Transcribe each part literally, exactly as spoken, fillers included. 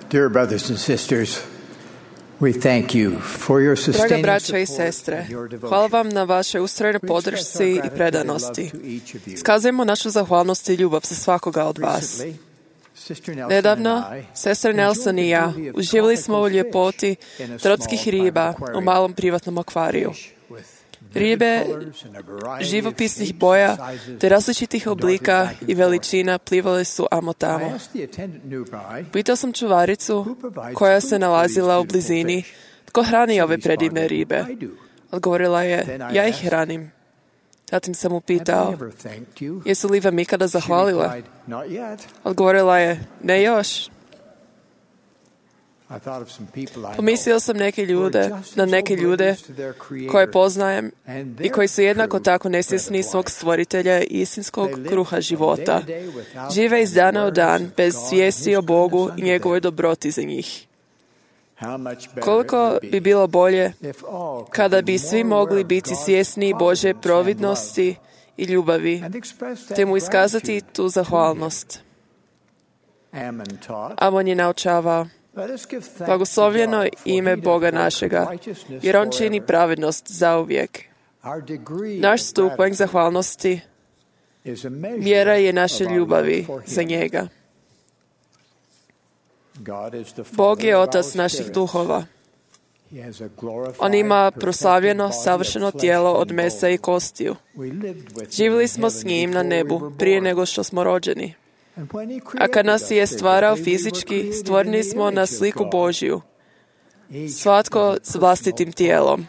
Dear brothers and sisters, we thank you for your Draga sustaining braćo i support sestre, and your devotion. hvala vam na vašoj ustrojnoj podršci i predanosti. Iskazujemo našu zahvalnost i ljubav za svakoga od vas. Nedavno, sestra Nelson i ja uživali smo u ljepoti tropskih riba u malom privatnom akvariju. Ribe živopisnih boja te različitih oblika i veličina plivale su amo tamo. Pitao sam čuvaricu koja se nalazila u blizini tko hrani ove predivne ribe. Odgovorila je, ja ih hranim. Zatim sam upitao, jesu li vam ikada zahvalile? Odgovorila je, ne još. Pomislio sam neke ljude, na neke ljude koje poznajem i koji su jednako tako nesvjesni svog stvoritelja i istinskog kruha života. Žive iz dana u dan bez svijesti o Bogu i njegovoj dobroti za njih. Koliko bi bilo bolje kada bi svi mogli biti svjesni Božje providnosti i ljubavi, te mu iskazati tu zahvalnost. Amon je naučavao, blagoslovljeno ime Boga našega, jer On čini pravednost zauvijek. Naš stupanj zahvalnosti mjera je naše ljubavi za njega. Bog je Otac naših duhova. On ima proslavljeno, savršeno tijelo od mesa i kostiju. Živjeli smo s njim na nebu prije nego što smo rođeni. A kad nas je stvarao fizički, stvoreni smo na sliku Božju, svatko s vlastitim tijelom.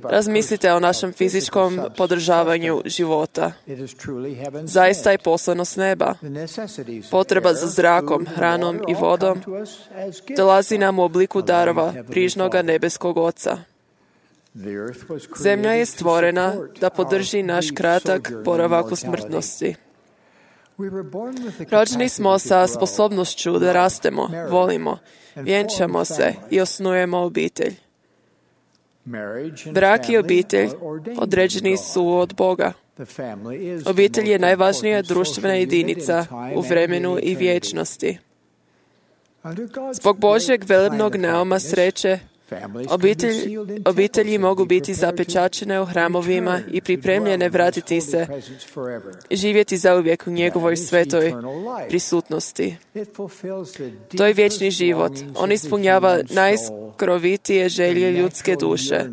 Razmislite o našem fizičkom podržavanju života. Zaista je poslano s neba. Potreba za zrakom, hranom i vodom dolazi nam u obliku darova prižnoga nebeskog Oca. Zemlja je stvorena da podrži naš kratak boravak u smrtnosti. Rođeni smo sa sposobnošću da rastemo, volimo, vjenčamo se i osnujemo obitelj. Brak i obitelj određeni su od Boga. Obitelj je najvažnija društvena jedinica u vremenu i vječnosti. Zbog Božjeg velebnog nauma sreće, Obitelj, obitelji mogu biti zapečačene u hramovima i pripremljene vratiti se i živjeti zauvijek u njegovoj svetoj prisutnosti. To je vječni život. On ispunjava najskrovitije želje ljudske duše,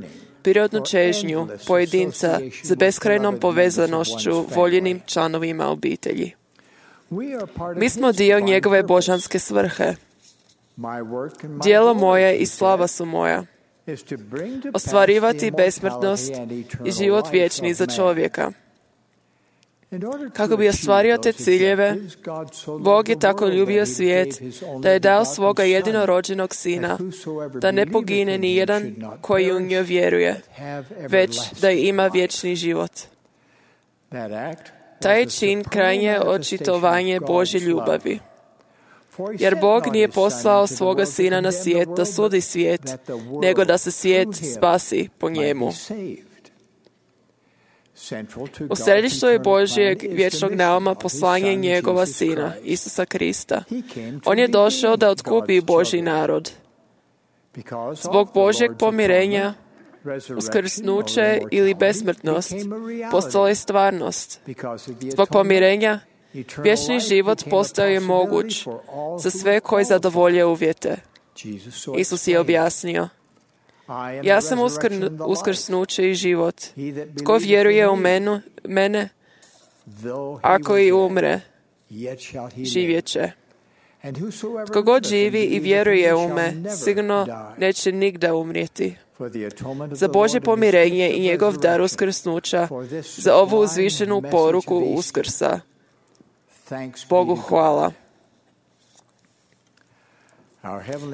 prirodnu čežnju pojedinca za beskrajnom povezanošću voljenim članovima obitelji. Mi smo dio njegove božanske svrhe. Djelo moje i slava su moja. Ostvarivati besmrtnost i život vječni za čovjeka. Kako bi ostvario te ciljeve, Bog je tako ljubio svijet da je dao svoga jedinorođenog sina, da ne pogine ni jedan koji u njoj vjeruje, već da ima vječni život. Taj je čin krajnje očitovanje Božje ljubavi. Jer Bog nije poslao svoga sina na svijet da sudi svijet, nego da se svijet spasi po njemu. U središtu je Božjeg vječnog nauma poslanje njegova sina, Isusa Krista. On je došao da otkupi Božji narod. Zbog Božjeg pomirenja, uskrsnuće ili besmrtnost postala je stvarnost. Zbog pomirenja, vječni život postao je moguć za sve koji zadovolje uvjete. Isus je objasnio, ja sam uskr, uskrsnuće i život. Tko vjeruje u menu, mene, ako i umre, živjet će. Tko god živi i vjeruje u me, sigurno neće nigda umrijeti. Za Božje pomirenje i njegov dar uskrsnuća, za ovu uzvišenu poruku uskrsa. Bogu hvala.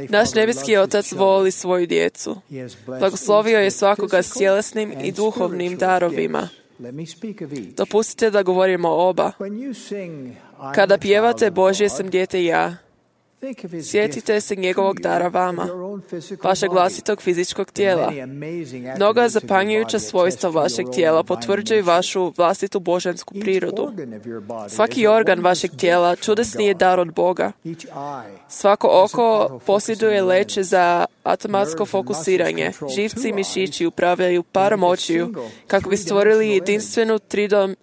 Naš nebeski Otac voli svoju djecu. Blagoslovio je svakoga s tjelesnim i duhovnim darovima. Dopustite da govorimo oba. Kada pjevate Božje sam dijete ja, Sjetite se njegovog dara vama, vašeg vlastitog fizičkog tijela. Mnoga zapanjujuća svojstva vašeg tijela potvrđuju vašu vlastitu božansku prirodu. Svaki organ vašeg tijela čudesni je dar od Boga. Svako oko posjeduje leće za automatsko fokusiranje. Živci i mišići upravljaju parom očiju kako bi stvorili jedinstvenu tridom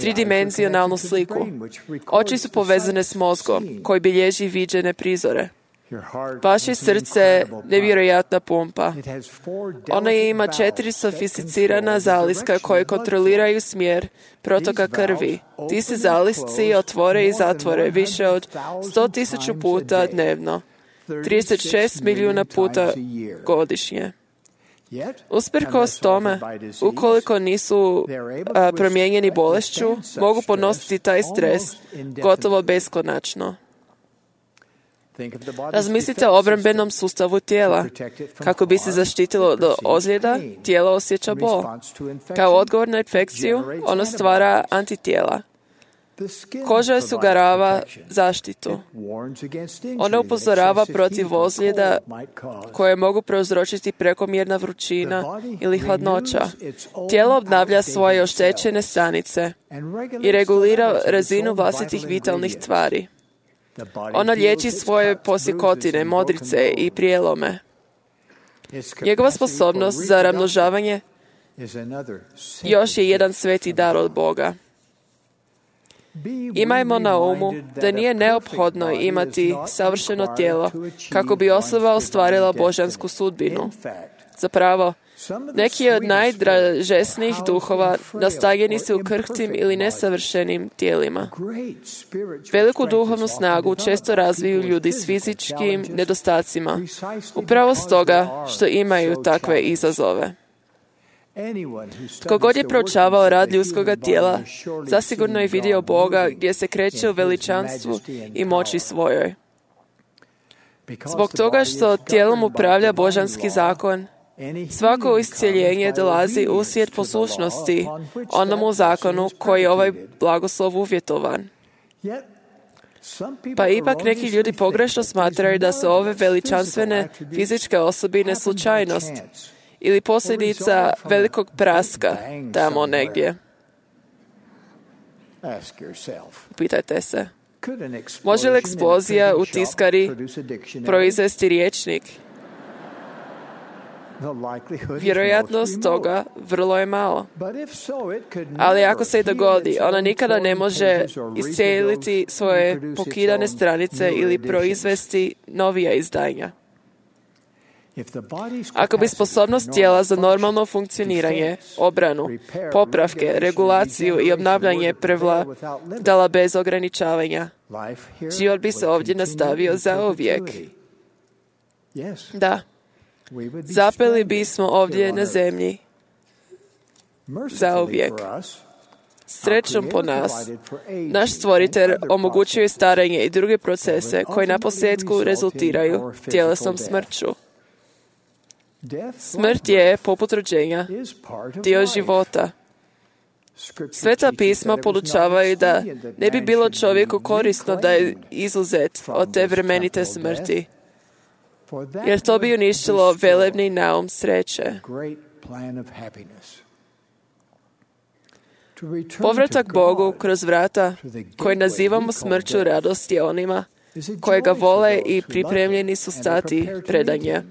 tridimenzionalnu sliku. Oči su povezane s mozgom, koji bilježi viđene prizore. Vaše srce je nevjerojatna pumpa. Ona ima četiri sofisticirana zaliska koje kontroliraju smjer protoka krvi. Ti se zalisci otvore i zatvore više od sto tisuća puta dnevno, trideset šest milijuna puta godišnje. Usprkos tome, ukoliko nisu a, promijenjeni bolešću, mogu podnositi taj stres gotovo beskonačno. Razmislite o obrambenom sustavu tijela. Kako bi se zaštitilo od ozljeda, tijelo osjeća bol. Kao odgovor na infekciju, ono stvara antitijela. Koža osigurava zaštitu. Ona upozorava protiv ozljeda koje mogu prouzročiti prekomjerna vrućina ili hladnoća. Tijelo obnavlja svoje oštećene stanice i regulira razinu vlastitih vitalnih tvari. Ona liječi svoje posjekotine, modrice i prijelome. Njegova sposobnost za razmnožavanje još je jedan sveti dar od Boga. Imajmo na umu da nije neophodno imati savršeno tijelo kako bi osoba ostvarila božansku sudbinu. Zapravo, neki od najdražesnijih duhova nastanjeni su u krhkim ili nesavršenim tijelima. Veliku duhovnu snagu često razviju ljudi s fizičkim nedostacima, upravo stoga što imaju takve izazove. Tko god je proučavao rad ljudskoga tijela, zasigurno je vidio Boga gdje se kreće u veličanstvu i moći svojoj. Zbog toga što tijelom upravlja božanski zakon, svako iscjeljenje dolazi uslijed poslušnosti onomu zakonu koji je ovaj blagoslov uvjetovan. Pa ipak neki ljudi pogrešno smatraju da su ove veličanstvene fizičke osobine slučajnost ili posljedica velikog praska tamo negdje. Pitajte se, može li eksplozija u tiskari proizvesti rječnik? Vjerojatnost toga vrlo je malo. Ali ako se i dogodi, ona nikada ne može iscijeliti svoje pokidane stranice ili proizvesti novija izdanja. Ako bi sposobnost tijela za normalno funkcioniranje, obranu, popravke, regulaciju i obnavljanje prevladala bez ograničavanja, život bi se ovdje nastavio zauvijek. Da, zapeli bismo ovdje na zemlji zauvijek. Srećom po nas, naš stvoritelj omogućuje starenje i druge procese koji na posljedku rezultiraju tjelesnom smrću. Smrt je, poput rođenja, dio života. Sveta pisma podučavaju da ne bi bilo čovjeku korisno da je izuzet od te vremenite smrti, jer to bi uništilo velebni naum sreće. Povratak Bogu kroz vrata koje nazivamo smrću radosti onima koje ga vole i pripremljeni su stati predanje.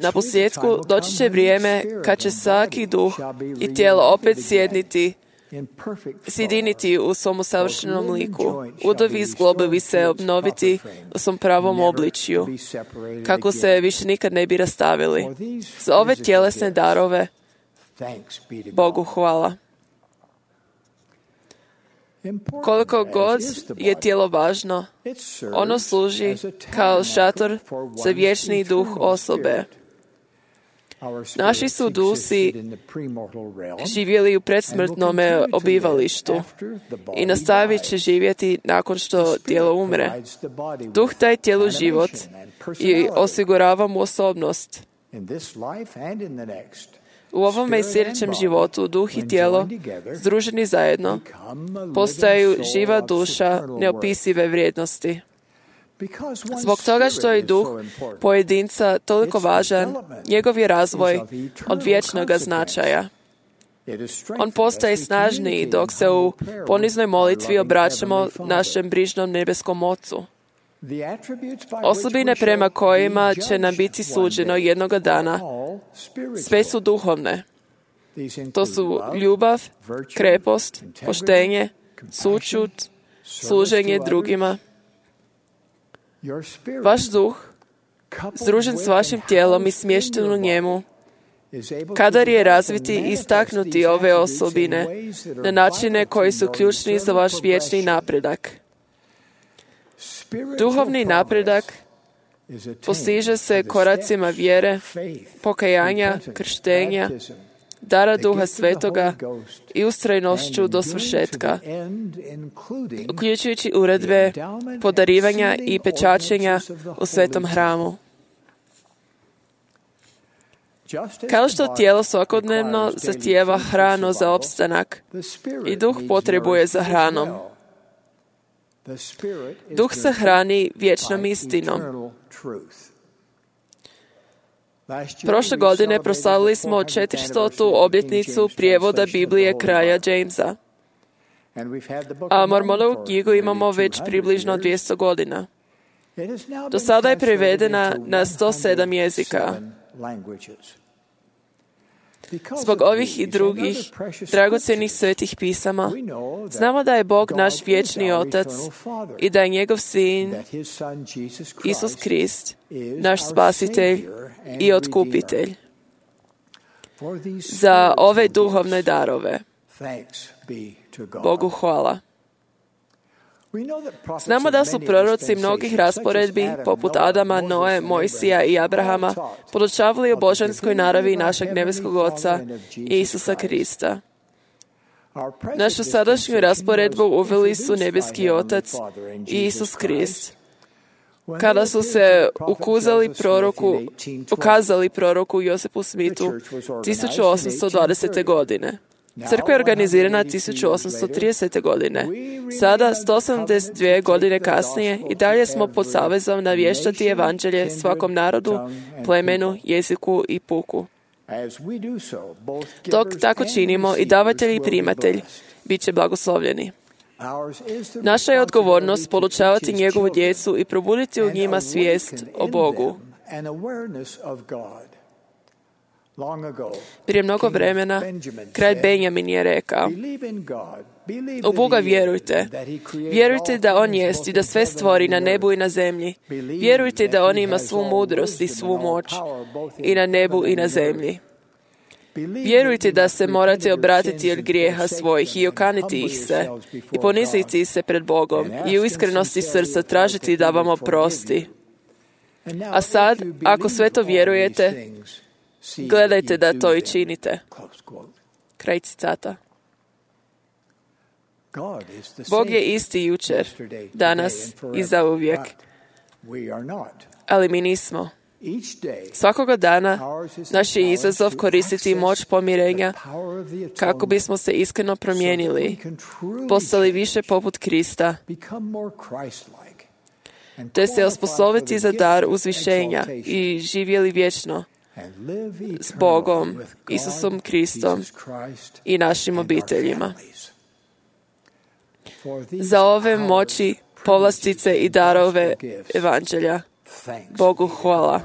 Na posljedku doći će vrijeme kad će svaki duh i tijelo opet sjedniti, sjediniti u svom savršenom liku. Udovi i zglobovi se obnoviti u svom pravom obličju, kako se više nikad ne bi rastavili. Za ove tjelesne darove Bogu hvala. Koliko god je tijelo važno, ono služi kao šator za vječni duh osobe. Naši su dusi živjeli u predsmrtnome obivalištu i nastavit će živjeti nakon što tijelo umre. Duh daje tijelu život i osigurava mu osobnost. U ovome i sljedećem životu duh i tijelo, združeni zajedno, postaju živa duša neopisive vrijednosti. Zbog toga što je duh pojedinca toliko važan, njegov je razvoj od vječnog značaja. On postaje snažniji dok se u poniznoj molitvi obraćamo našem brižnom nebeskom Ocu. Osobine prema kojima će nam biti suđeno jednoga dana, sve su duhovne. To su ljubav, krepost, poštenje, sućut, služenje drugima. Vaš duh, združen s vašim tijelom i smješten u njemu, kadar je razviti i istaknuti ove osobine na načine koji su ključni za vaš vječni napredak. Duhovni napredak postiže se koracima vjere, pokajanja, krštenja, dara Duha Svetoga i ustrajnošću do svršetka, uključujući uredbe, podarivanja i pečačenja u svetom hramu. Kao što tijelo svakodnevno zahtijeva hranu za opstanak i duh potrebuje za hranom. Duh se hrani vječnom istinom. Prošle godine proslavili smo četiristotu obljetnicu prijevoda Biblije kralja Jamesa. A Mormonovu knjigu imamo već približno dvjesto godina. Do sada je prevedena na sto sedam jezika. Zbog ovih i drugih dragocjenih svetih pisama, znamo da je Bog naš vječni Otac i da je njegov Sin, Isus Krist, naš Spasitelj i Otkupitelj. Za ove duhovne darove, Bogu hvala. Znamo da su proroci mnogih rasporedbi, poput Adama, Noe, Mojsija i Abrahama, podučavali o božanskoj naravi našeg nebeskog Oca i Isusa Krista. Našu sadašnju rasporedbu uveli su nebeski Otac i Isus Krist. Kada su se ukazali proroku, ukazali proroku Josipu Smithu tisuću osamsto dvadesete. godine. Crkva je organizirana tisuću osamsto tridesete. godine. Sada, sto osamdeset dvije godine kasnije, i dalje smo pod savezom navještati evanđelje svakom narodu, plemenu, jeziku i puku. Dok tako činimo, i davatelj i primatelj bit će blagoslovljeni. Naša je odgovornost podučavati njegovu djecu i probuditi u njima svijest o Bogu. Prije mnogo vremena, kralj Benjamin je rekao: u Boga vjerujte. Vjerujte da On jest i da sve stvori na nebu i na zemlji. Vjerujte da On ima svu mudrost i svu moć i na nebu i na zemlji. Vjerujte da se morate obratiti od grijeha svojih i okaniti ih se i poniziti se pred Bogom i u iskrenosti srca tražiti da vam oprosti. A sad, ako sve to vjerujete, gledajte da to i činite. Kraj citata. Bog je isti jučer, danas i zauvijek. Ali mi nismo. Svakoga dana naš je izazov koristiti moć pomirenja kako bismo se iskreno promijenili, postali više poput Krista, te se osposobiti za dar uzvišenja i živjeli vječno s Bogom, Isusom Kristom i našim obiteljima. Za ove moći, povlastice i darove evanđelja, Bogu hvala.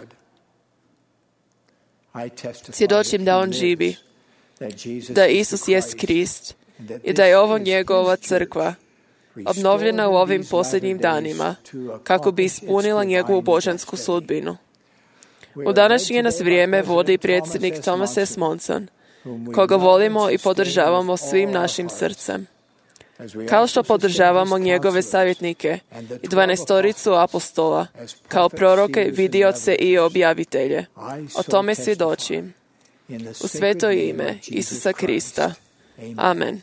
Svjedočim da On živi, da Isus jest Krist i da je ovo njegova crkva, obnovljena u ovim posljednjim danima, kako bi ispunila njegovu božansku sudbinu. U današnje nas vrijeme vodi predsjednik Thomas S. Monson, koga volimo i podržavamo svim našim srcem. Kao što podržavamo njegove savjetnike i dvanaestoricu apostola, kao proroke, vidioce i objavitelje. O tome svjedočim. U sveto ime Isusa Krista. Amen.